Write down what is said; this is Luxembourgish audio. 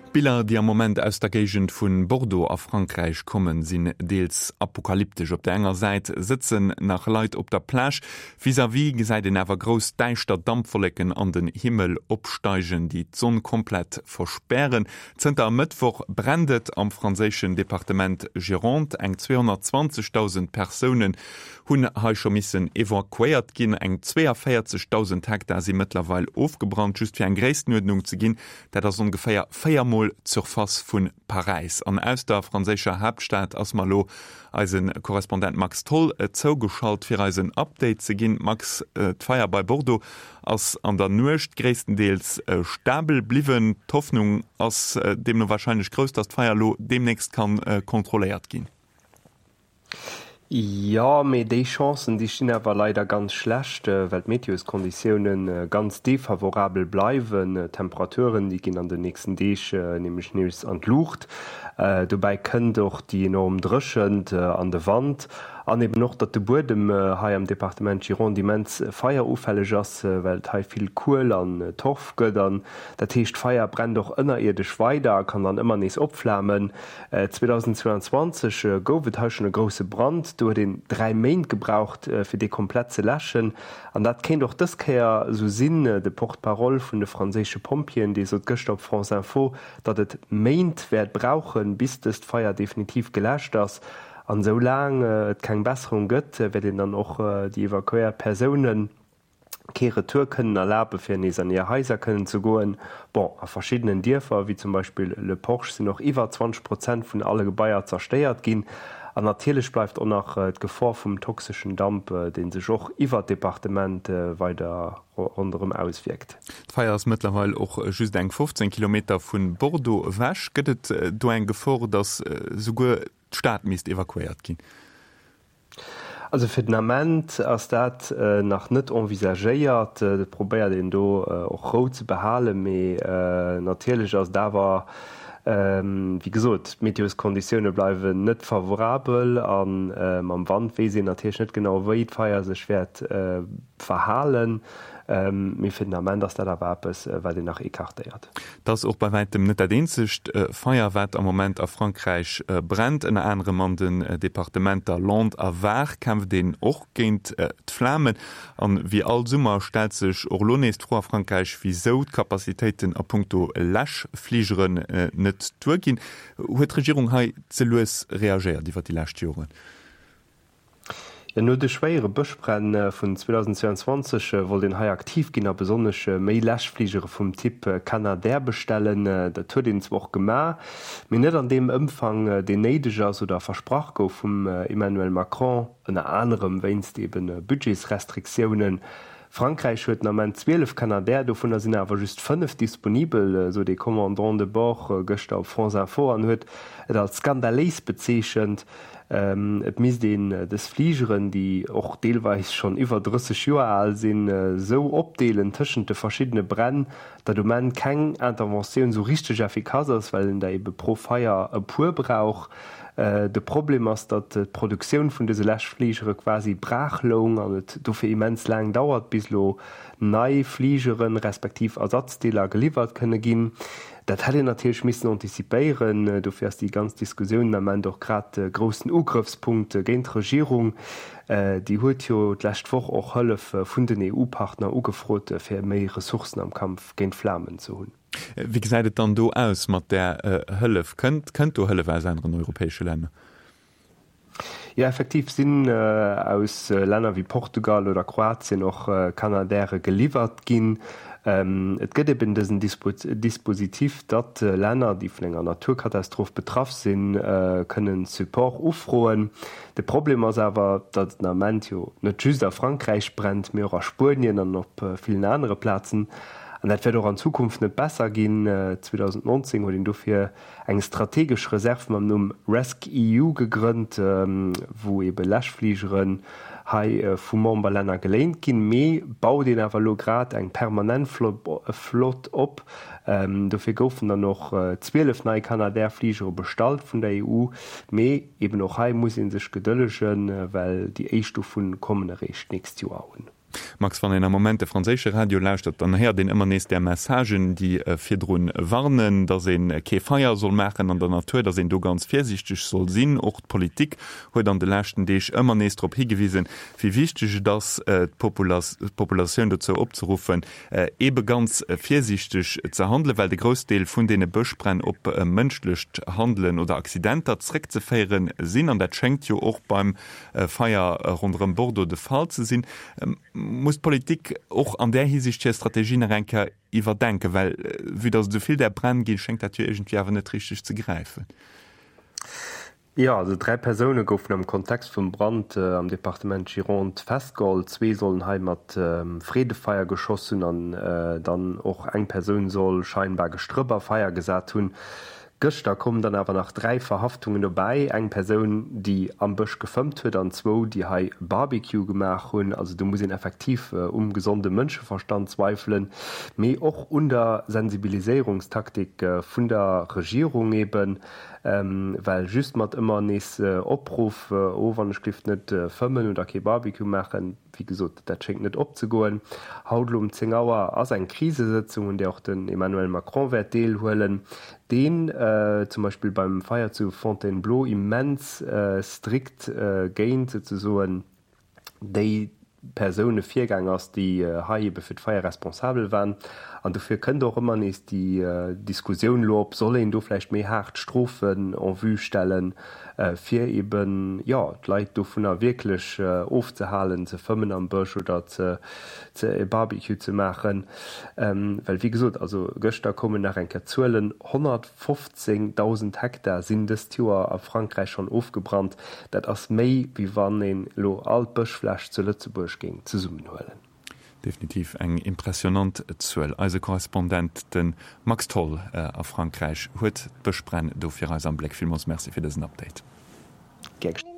D'Biller, déi am Moment aus der Géigend vu Bordeaux a Frankräich kommen, sinn deels apokalyptesch. Op der enger Säit sëtzen nach Leit op der Plage, vis-à-vis gesäit een awer grouss däischter Dampwolleken an den Himmel opsteigen, déi d'Sonn komplett verspären. Zënter e Mëttwoch brennt et am franséischen Departement Gironde. Eng 220.000 Persounen hunn hei scho missen evakuéiert ginn. Eng 42.000 Hektar si mëttlerweil ofgebrannt. Just fir eng Gréisstenuerdnung ze ginn, dat ass ongeféier 4 Mol d'Surface vu Paräis. An aus der franséischer Haaptstad ass mer elo eise Korrespondent Max Tholl zougeschalt, fir eis en Update ze ginn. Max, d'Feier bei Bordeaux ass an der Nuecht gréisstendeels stabel bliwwen. D'Hoffnung ass deemno warscheinlech grouss, datt d'Feier elo deemnächst kann kontrolléiert ginn. Jo, mee déi Chancen, déi stinn awer leider ganz schlecht, well d'Meteoskonditioune ganz defavorabel bleiwen. D'Temperaturen, déi ginn an den nächsten Deeg nämlech nees an d'Luucht. Dobäi kënnt och déi enorm Dréchent an de Wand an eben och, datt de Buedem hei am Departement Gironde immens feierufälleg ass, well et hei vill Kuel an Torf gëtt. An dat heescht, d'Feier brennt och ënnerierdesch weider a kann dann ëmmer nees opflamen. 2022 gouf et hei schonn e grousse Brand. Do huet een 3 Méint gebraucht, fir dee komplett ze läschen. An dat kéint och dës Kéier esou sinn. De Porte-parole vun de franséische Pompjeeën, dee sot gëschter op France Info, datt et Méint wäert brauchen, bis dëst Feier definitiv geläscht ass. An esou laang et keng Besserung gëtt, wäert een dann och déi evakuéiert Persounen, kee Retour kënnen erlabe fir nees an hir Haiser kënnen ze goen. Bon, a verschiddenen Dierfer, wéi zum Beispill Le Porge, sinn och iwwer 20 Prozent vun alle Gebaier zerstéiert ginn. An natierlech bleift och nach d'Gefor vum toxeschen Damp, dee sech och iwwer d'Departement weider ronderëm auswierkt. D'Feier ass mëttlerweil och just eng 15 Kilometer vu Bordeaux ewech. Gëtt et do eng Gefor, datt souguer d'Stad misst evakuéiert ginn? Also fir den Ament ass dat nach net envisagéiert. Et probéiert een do och Rou ze behalen, mee natierlech ass et awer, wéi gesot, d'Meteoskonditioune bleiwen net favorabel a mam Wand weess een natierlech net genau, wéi d'Feier sech wäert verhalen. Mee fir den Ament ass dat awer eppes, wat een nach ecartéiert. Et ass och bei wäitem net dat eenzegt Feier, wat am Moment a Frankräich brennt. Ënner anerem an den Departementer Landes a Var kämpft een och géint d'Flamen. An wéi all Summer stellt sech och elo nees d'Fro a Frankräich, wisou d'Capacitéiten a punkto Läschfligeren net duerginn. Huet d'Regierung hei ze lues reagéiert iwwer déi lescht Joren? Jo, no de schwéiere Bëschbränn vun 2022 wollt een hei aktiv ginn a besonnesch méi Läschfligere vum Typ Canadair bestellen. Dat huet een zwar och gemaach, mee net an deem Ëmfang, deen néideg ass oder versprach gouf vum Emmanuel Macron, ënner anerem wéinst ebe Budgetsrestriktiounen. Frankräich huet den Ament 12 Canadair, dovunner sinn awer just 5 disponibel, sot ee Commandant de bord gëschter op France Info an huet et als skandaléis bezeechent. Et misst een dës Fligeren, déi och deelweis schonn iwwer 30 Joer al sinn, esou opdeelen tëschent de verschiddene Bränn, datt um Enn keng Interventioun esou richteg effikass ass, well een der ebe pro Feier e puer brauch. De Problem ass, datt d'Produktioun vun dëse Läschfligere quasi braach loung an et dofir immens laang dauert, bis elo nei Fligeren, respektiv Ersatzdeeler geliwwert kënne ginn. Dat hätt een natierlech missen antizipéieren. Dofir ass déi ganz Diskussioun den Ament och grad de groussen Ugrëffspunkt géint d'Regierung. Déi huet jo d'lescht Woch och Hëllef vun den EU-Partner ugefrot, fir méi Ressourcen am Kampf géint d'Flamen ze hunn. Wéi gesäit et dann do aus mat där Hëllef? Kënnt do Hëllef aus aneren europäesche Länner? Jo, effektiv sinn aus Länner wéi Portugal oder Kroatien och Canadaire geliwwert ginn. Et gëtt eben dësen Dispositif, datt Länner, déi vun enger Naturkatastroph betraff sinn, kënnen Support ufroen. De Problem ass awer, datt et den Ament jo net just a Frankräich brennt, mee och a Spuenien an op villen anere Plazen. An dat wäert och an Zukunft net besser ginn. 2019 huet een dofir eng strategesch Reserv mam Numm RescEU gegrënnt, wou ebe Läschfligeren hei vu Memberlänner geléint ginn. Mee baut een awer elo grad eng permanent Flott op. Dofir goufen dann och 12 nei Canadair-Fligere bestallt vun der EU. Mee eben och hei muss ee sech gedëllegen, well déi éischt dovun kommen eréischt d'nächst Joer un. Max, wann een am Moment de franséische Radio lauschtert, dann héiert een ëmmer nees där Messagen, déi virdru warnen, datt ee kee Feier soll maachen an der Natur, datt een do ganz virsiichteg soll sinn. Och d'Politik huet an de leschten Deeg ëmmer nees drop higewisen, wéi wichteg et ass, d'Populatioun dozou opzeruffen, eebe ganz virsiichteg ze handelen, well de Groussdeel vun deene Bëschbränn op mënschlecht Handelen oder Accidenter zréckzeféiere sinn. An dat schéngt jo och beim Feier ronderëm Bordeaux de Fall ze sinn. Muss d'Politik och an där Hisiicht hir Strategie nach eng Kéier iwwerdenken? Well vue datt et esou vill där Bränn ginn, schéngt dat jo iergendwéi awer net richteg ze gräifen. Jo, also 3 Persoune goufen am Kontext vum Brand am Departement Gironde festgeholl. Zwee sollen hei mat Freedefeier geschoss hunn an dann och eng Persoun soll scheinbar Gestrëpp a Feier gesat hunn. Gëschter koumen dann awer nach 3 Verhaftungen dobäi, eng Persoun, déi am Bësch gefëmmt huet an zwou, déi hei Barbecue gemaach hunn. Also do muss een effektiv um gesonde Mënscheverstand zweifelen, mee och un der Sensibiliséierungstaktik vun der Regierung eben. Well just mat ëmmer nees Opruff, oh wann ech géif net fëmmen oder kee Barbecue maachen, wéi gesot, dat schéngt net opzegoen. Haut elo um 10 Auer ass eng Krisesëtzung, un där och den Emmanuel Macron wäert deelhuelen, deen zum Beispill beim Feier zu Fontainebleau immens strikt géint souzesoen déi Persoune virgaang ass, déi hei ebe fir d'Feier responsabel waren. An dofir kënnt och ëmmer nees déi Diskussioun elo op, Soll een do vläicht méi haart Strofen en vue stellen, fir eben, jo, d'Leit dovunner wierklech ofzehalen, ze fëmmen am Bësch oder ze e Barbecue ze maachen? Well wéi gesot, also gëschter koumen nach eng Kéier d'Zuelen, 115.000 Hektar sinn dëst Joer a Frankräich schonn ofgebrannt. Dat ass méi, wéi wann een elo all d'Bëschfläch zu Lëtzebuerg géing zesummenhuelen. Definitiv eng impressionant Zuel. Eise Korrespondent, de Max Tholl a Frankräich, huet d'Bëschbränn do fir eis am Bléck. Villmools Merci fir dësen Update. Gär geschéngt.